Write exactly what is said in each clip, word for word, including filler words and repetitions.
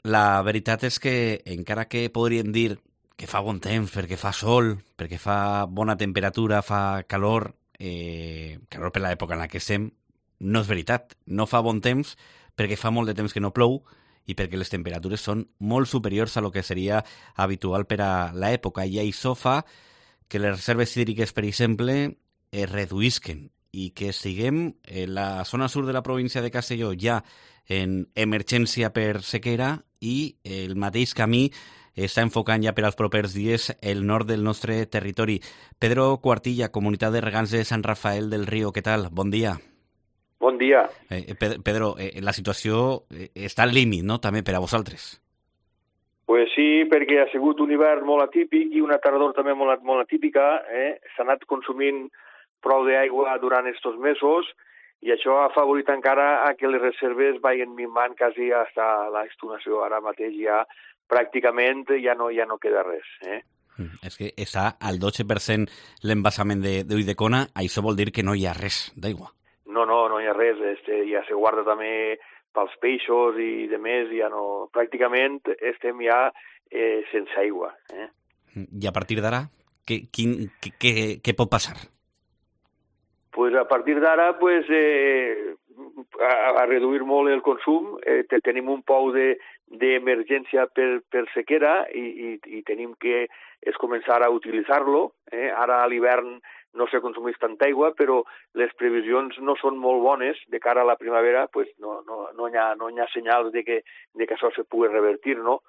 la veritat és que, encara que podríem dir que fa bon temps, perquè fa sol, perquè fa bona temperatura, fa calor, eh, calor per l'època en la que estem, no és veritat. No fa bon temps perquè fa molt de temps que no plou i perquè les temperatures són molt superiors a lo que seria habitual per a l'època. I això fa que les reserves hídriques, per exemple, es reduïsquen i que estiguem en la zona sur de la província de Castelló ja en emergència per sequera i el mateix camí està enfocant ja per als propers dies el nord del nostre territori. Pedro Cuartilla, Comunitat de Regants de Sant Rafael del Riu, què tal? Bon dia. Bon dia. Eh, Pedro, eh, la situació està al límit, no?, també per a vosaltres. Pues sí, perquè ha sigut un hivern molt atípic i una tardor també molt, molt atípica. Eh? S'ha anat consumint prou d'aigua durant aquests mesos i això ha favorit encara a que les reserves vagin minvant quasi fins a l'extenuació. Ara mateix ja pràcticament ja no, ja no queda res. Eh? Mm, és que està al dotze per cent l'embassament d'Ulldecona, això vol dir que no hi ha res d'aigua. No, no, no hi ha res. Este, ja se guarda també pels peixos i de més, ja no... Pràcticament estem ja eh, sense aigua. Eh? I a partir d'ara, què, quin, què, què, què pot passar? Pues a partir d'ara, pues, eh, a, a reduir molt el consum. Eh, tenim un pou d'emergència de, per, per sequera i, i, i tenim que és començar a utilitzar-lo. Eh? Ara a l'hivern no se consumeix tanta aigua, però les previsions no són molt bones de cara a la primavera, pues no, no, no, hi ha, no hi ha senyals de que, de que això se pugui revertir, no?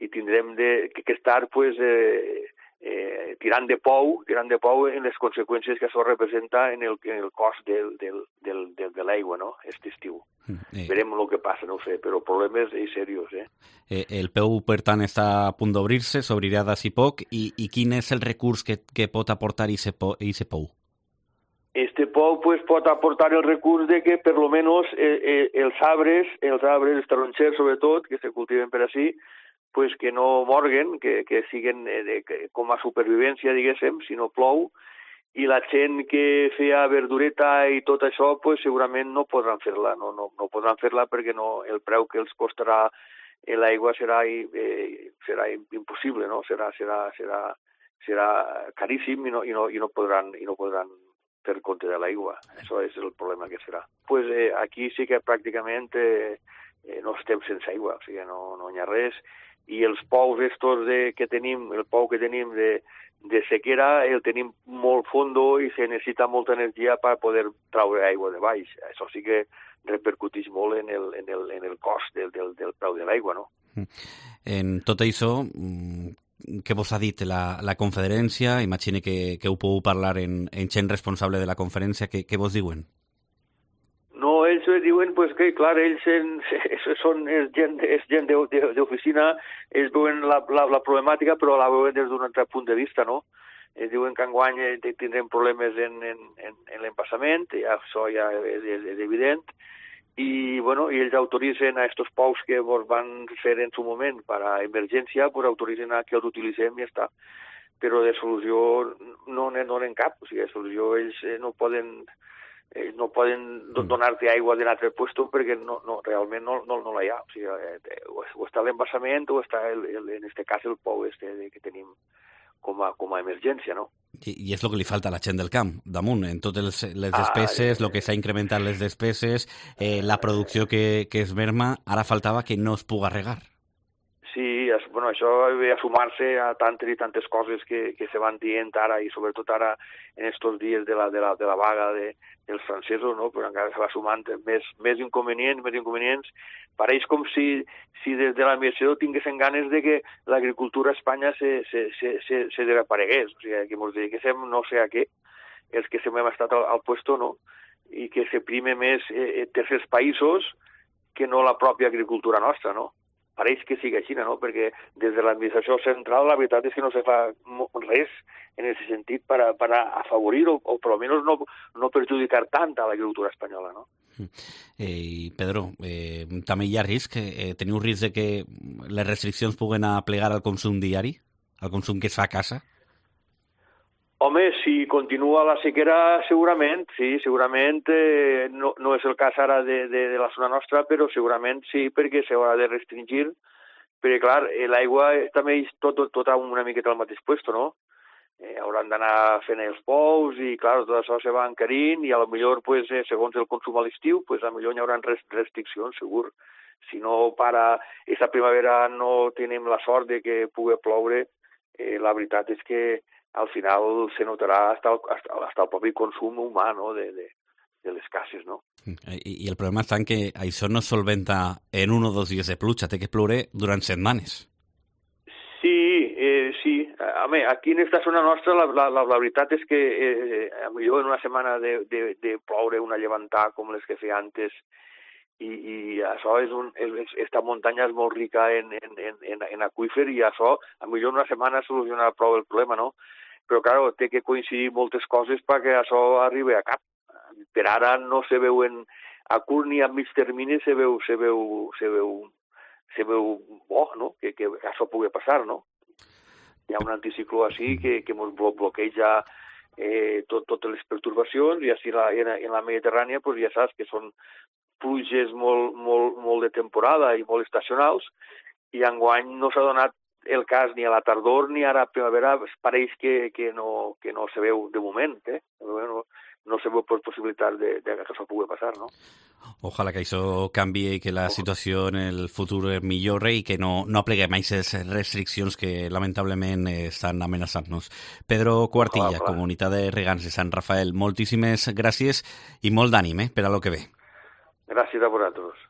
I tindrem de, que, que estar pues, eh, eh, tirant de pou, tirant de pou en les conseqüències que això representa en el, en el cost del, del, del, del, de l'aigua, no?, aquest estiu. Eh. Verem el que passa, no ho sé, però problemes és seriós, eh? eh? El P U, per tant, està a punt d'obrir-se, s'obrirà d'ací poc, i, i quin és el recurs que, que pot aportar aquest P U? Este pou pues, pot aportar el recurs de que, per lo menos, eh, eh, els arbres, els arbres, els taronxers, sobretot, que se cultiven per ací, pues que no morguen, que, que siguen eh, de, que, com a supervivència, diguéssim, si no plou, i la gent que feia verdureta i tot això, pues segurament no podran fer-la, no, no, no podran fer-la perquè no, el preu que els costarà l'aigua serà, eh, serà impossible, no? Serà, serà, serà, serà caríssim i no, i no, i no podran, i no podran fer compte de l'aigua. Això és el problema que serà. Pues eh, aquí sí que pràcticament eh, eh, no estem sense aigua, o sigui, no, no hi ha res. I els pous estos de, que tenim, el pou que tenim de, de sequera, el tenim molt fondo i se necessita molta energia per poder traure aigua de baix. Això sí que repercuteix molt en el, en el, en el cost del, del, del preu de l'aigua, no? En tot això, què vos ha dit la, la conferència? Imagine que, que ho podeu parlar en, en gent responsable de la conferència. Què, què vos diuen? No, ells diuen pues, que, clar, ells en, són és gent, és gent d'oficina, ells veuen la, la, la problemàtica, però la veuen des d'un altre punt de vista, no? Ells diuen que enguany tindrem problemes en, en, en, en l'empassament, ja, això ja és, és, és evident, i, bueno, i ells autoritzen a aquests pous que ens van fer en su moment per a emergència, pues autoritzen a que els utilitzem i ja està. Però de solució no n'hi no cap, o sigui, de solució ells no poden... Eh, no poden donar-te aigua d'un altre lloc perquè no, no, realment no, no, no la hi ha. O, sigui, eh, o està l'embassament o està, el, el, en aquest cas, el pou este que tenim com a, com a emergència, no? I, I és el que li falta a la gent del camp, damunt, en totes les despeses, el ah, que s'ha incrementat les despeses, eh, la producció que, que es merma, ara faltava que no es puga regar. Sí, es, bueno, això ve a sumar-se a tantes i tantes coses que, que se van dient ara i sobretot ara en aquests dies de la, de la, de la vaga de, dels francesos, no? Però encara se va sumant més, més inconvenients, més inconvenients. Pareix com si, si des de l'administració tinguessin ganes de que l'agricultura a Espanya se, se, se, se, se desaparegués, o sigui, que ens dediquéssim no sé a què, els que sempre hem estat al, al puesto, no? I que se prime més eh, tercers països que no la pròpia agricultura nostra, no? Pareix que sigui així, no? Perquè des de l'administració central la veritat és que no se fa res en aquest sentit per a, per a afavorir o, o per almenys no, no perjudicar tant a l'agricultura espanyola, no? Eh, Pedro, eh, també hi ha risc, eh, teniu risc de que les restriccions puguen aplegar al consum diari, al consum que es fa a casa? Home, si continua la sequera, segurament, sí, segurament, eh, no, no és el cas ara de, de, de la zona nostra, però segurament sí, perquè s'haurà de restringir perquè clar, eh, l'aigua també és tot, tot, tot una miqueta al mateix puesto, no? Eh, hauran d'anar fent els pous i, clar, tot això se va encarint i a lo millor, pues, eh, segons el consum a l'estiu, pues, a lo millor hi haurà restriccions, segur. Si no para aquesta primavera no tenim la sort de que pugui ploure, eh, la veritat és que al final se notarà hasta el, hasta, hasta el propi consum humà, no?, de, de, de les cases, no? I, I el problema està en que això no es solventa en un o dos dies de pluja, té que ploure durant setmanes. Sí, eh, sí. Home, aquí en esta zona nostra la, la, la, la veritat és que eh, a millor en una setmana de, de, de ploure una llevantar com les que feia antes i, i això és un, és, esta muntanya és molt rica en, en, en, en aqüífer i això a millor en una setmana solucionarà prou el problema, no? Però, clar, té que coincidir moltes coses perquè això arribi a cap. Per ara no se veu en, a curt ni a mig termini se veu, se veu, se veu, se veu bo, no?, que, que això pugui passar, no? Hi ha un anticicló així que, que ens bloqueja eh, tot, totes les pertorbacions i així la, en, en la Mediterrània pues, ja saps que són pluges molt, molt, molt de temporada i molt estacionals i enguany no s'ha donat el cas ni a la tardor ni ara a primavera, pareix que, que, no, que no se veu de moment, eh? No, no se veu possibilitat de, de que això pugui passar, no? Ojalà que això canvi i que la situació en el futur millore i que no, no apleguem a aquestes restriccions que lamentablement estan amenaçant-nos. Pedro Cuartilla, Ojalà, Comunitat de Regants de Sant Rafael, moltíssimes gràcies i molt d'ànim eh, per a lo que ve. Gràcies a vosaltres.